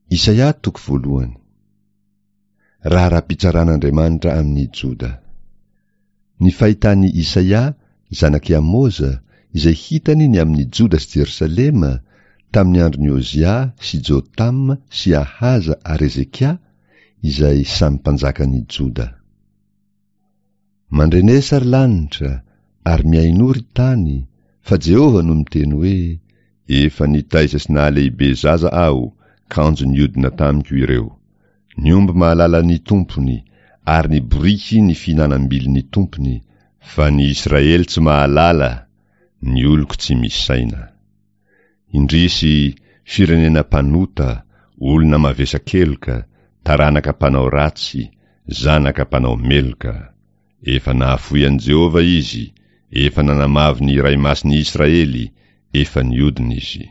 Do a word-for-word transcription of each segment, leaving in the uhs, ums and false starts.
Isaia toko voalohany. Raharaham-pitsaran'Andriamanitra amin'i Joda. Ny fahitan'i Isaia, zanak'i Amoza, izay hitany ny amin'i Joda sy Jerosalema, tamin'ny andron'i Ozia sy Jotama sy Ahaza ary Hezekia, izay samy mpanjakan'i Joda. Mandrenesa ry lanitra, ary mihainoa ry tany, fa Jehovah no miteny hoe, Efa nitaiza sy nahalehibe zaza aho, kanjo niodina tamiko ireo. Ny omby mahalala ny tompony, ary ny boriky ny fihinanam-bilin'ny tompony, fa ny Israely tsy mahalala, ny oloko tsy misaina. Indrisy, firenena mpanota, olona mavesa-keloka, taranaka mpanao ratsy, zanaka mpanao meloka. Efa nahafoy an'i Jehovah izy, efa nanamavo ny Iray Masin'ny Israely, efa niodina izy.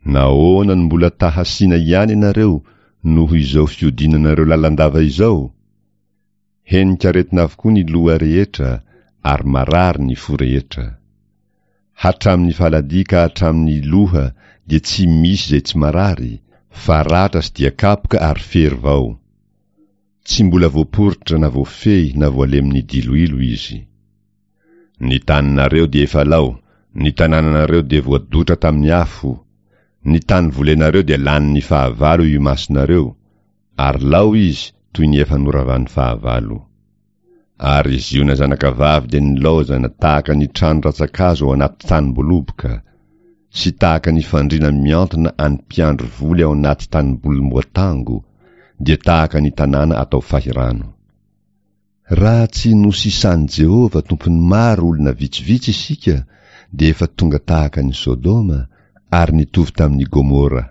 Nahoana no mbola ta-hasiana ihany ianareo noho izao fiodinanareo lalandava izao? Henik'aretina avokoa ny loha rehetra ary marary ny fo rehetra. Hatramin'ny faladia ka hatramin'ny loha dia tsy misy izay tsy marary, fa ratra sy dia-kapoka ary fery vao. Tsy mbola voaporitra na voafehy na voalemin'ny diloilo izy. Ny taninareo dia efa lao, ny tanànanareo dia voadotra tamin'ny afo, ny tany volenareo dia lanin'ny fahavalo eo imasonareo, ary lao izy toy ny efa noravan'ny fahavalo. Ary Ziona zanakavavy dia nilaozana tahaka ny trano rantsan-kazo ao anaty tanim-boaloboka, sy tahaka ny fandriana miantona any mpiandry voly ao anaty tanimbolim-boatango, dia tahaka ny tanàna atao fahirano. Raha tsy nosisan'i Jehovah Tompon'ny maro olona vitsivitsy isika, dia efa tonga tahaka an'i Sodoma, ary nitovy tamin'i Gomora.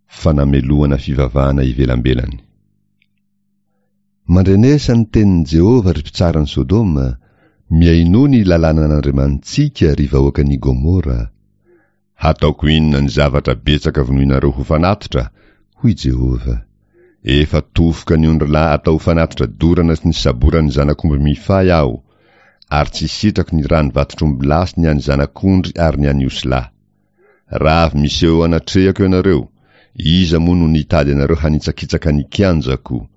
Fanamelohana fivavahana ivelambelany. Mandrenesa ny tenin'i Jehovah, ry mpitsaran'i Sodoma, mihainoa ny lalànan'Andriamanitsika, ry vahoakan'i Gomora. Hataoko inona ny zavatra betsaka vonoinareo ho fanatitra? Hoy Jehovah. Efa tofoka ny ondrilahy atao ho fanatitra dorana sy ny saboran'ny zanak'omby mifahy aho, ary tsy sitrako ny ràn'ny vatotr'ombilahy sy ny an'ny zanak'ondry ary ny an'ny osilahy. Raha avy miseho eo anatrehako ianareo, iza moa no nitady anareo hanitsakitsaka ny kianjako?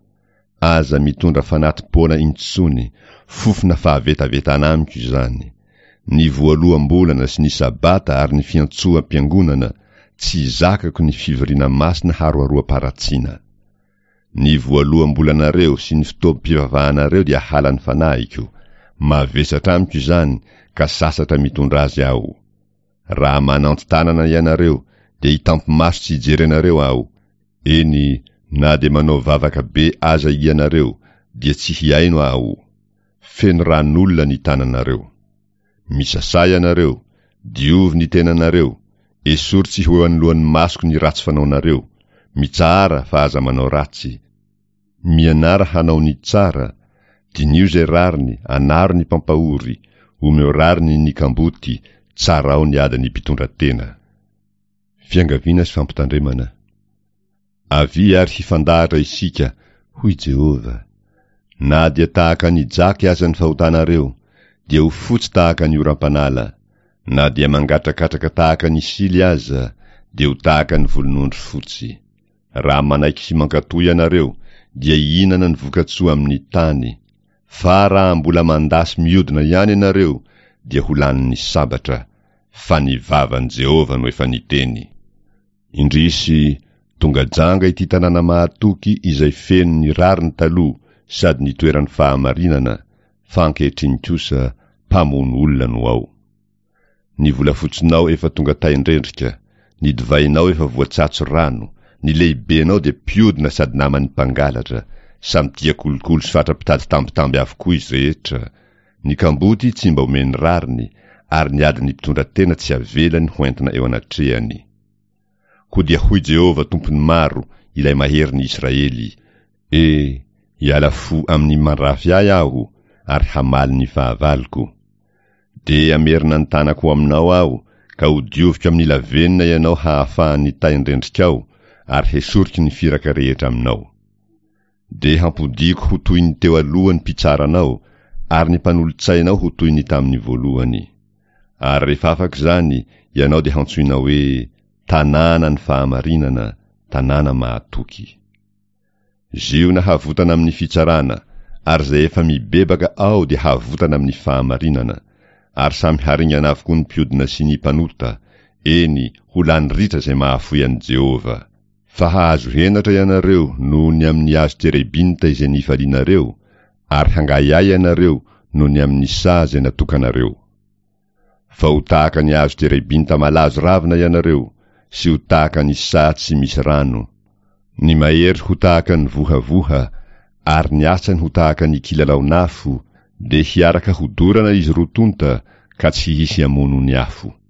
Aza mitondra fanati-poana intsony, fofona fahavetavetana amiko izany. Ny voaloham-bolana sy ny Sabata ary ny fiantsoam-piangonana, tsy zakako ny fivoriana masina haroharoam-paharatsiana. Ny voaloham-bolanareo sy ny fotoam-pivavahanareo dia halan'ny fanahiko, mavesatra amiko izany ka sasatra mitondra azy aho. Raha mananti-tanana ianareo dia hitampi-maso tsy hijery anareo aho, eny, na dia manao vavaka be aza ianareo dia tsy hihaino aho. Feno ran'olona ny tananareo. Misasà ianareo, diovy ny tenanareo, esory tsy ho eo anoloan'ny masoko ny ratsy fanaonareo, mitsahara fa aza manao ratsy, mianara hanao ny tsara, diniho izay rariny, anaro ny mpampahory, omeo rariny ny kamboty, tsarao ny adin'ny mpitondra tena. Fiangaviana sy fampitandremana. Avia ary hifandahatra isika, hoy Jehovah. Na dia tahaka ny jaky aza ny fahotanareo, dia ho fotsy tahaka ny oram-panala, na dia mangatrakatraka tahaka ny sily aza, dia ho tahaka ny volon'ondry fotsy. Raha manaiky sy mankatò ianareo, dia hihinana ny vokatsoa amin'ny tany, fa raha mbola mandà sy miodina ihany ianareo, dia ho lanin'ny sabatra, fa ny vavan'i Jehovah no efa niteny. Indrisy, tonga janga ity tanàna mahatoky izay feno ny rariny taloha sady nitoeran'ny fahamarinana, fa ankehitriny kosa mpamono olona no ao. Ny volafotsinao efa tonga tain-drendrika, ny divainao efa voatsatso rano, ny lehibenao dia mpiodina sady naman'ny mpangalatra, samy tia kolikoly sy fatra-pitady tambitamby avokoa izy rehetra, ny kamboty tsy mba omeny rariny, ary ny adin'ny mpitondra tena tsy avelany ho entina eo anatrehany. Koa dia hoy Jehovah Tompon'ny maro, ilay Maherin'ny Israely, E, hiala fo amin'ny mandrafy ahy aho, ary hamaly ny fahavaloko. Dia hamerina ny tanako ho aminao aho, ka hodioviko amin'ny lavenona ianao hahafahan'ny tain-drendrikao, ary hesoriko ny firaka rehetra aminao. Dia hampodiako ho toy ny teo aloha ny mpitsara anao, ary ny mpanolotsainao ho toy ny tamin'ny voalohany. Ary rehefa afaka izany, ianao dia hantsoina hoe tanànan'ny fahamarinana, tanàna mahatoky. Ziona havotana amin'ny fitsarana, ary izay efa mibebaka ao dia havotana amin'ny fahamarinana, ary samy haringana avokoa ny mpiodina sy ny mpanota, eny, ho lany ritra izay mahafoy an'i Jehovah. Fa hahazo henatra ianareo noho ny amin'ny hazo terebinta izay nifalianareo, ary hangahiahy ianareo noho ny amin'ny saha izay natokanareo. Fa ho tahaka ny hazo terebinta malazo ravina ianareo, sy ho tahaka ny saha tsy misy rano. Ny mahery ho tahaka ny vohavoha, ary ny asany ho tahaka ny kilalaon'afo, dia hiaraka hodorana izy roa tonta, ka tsy hisy hamono ny afo.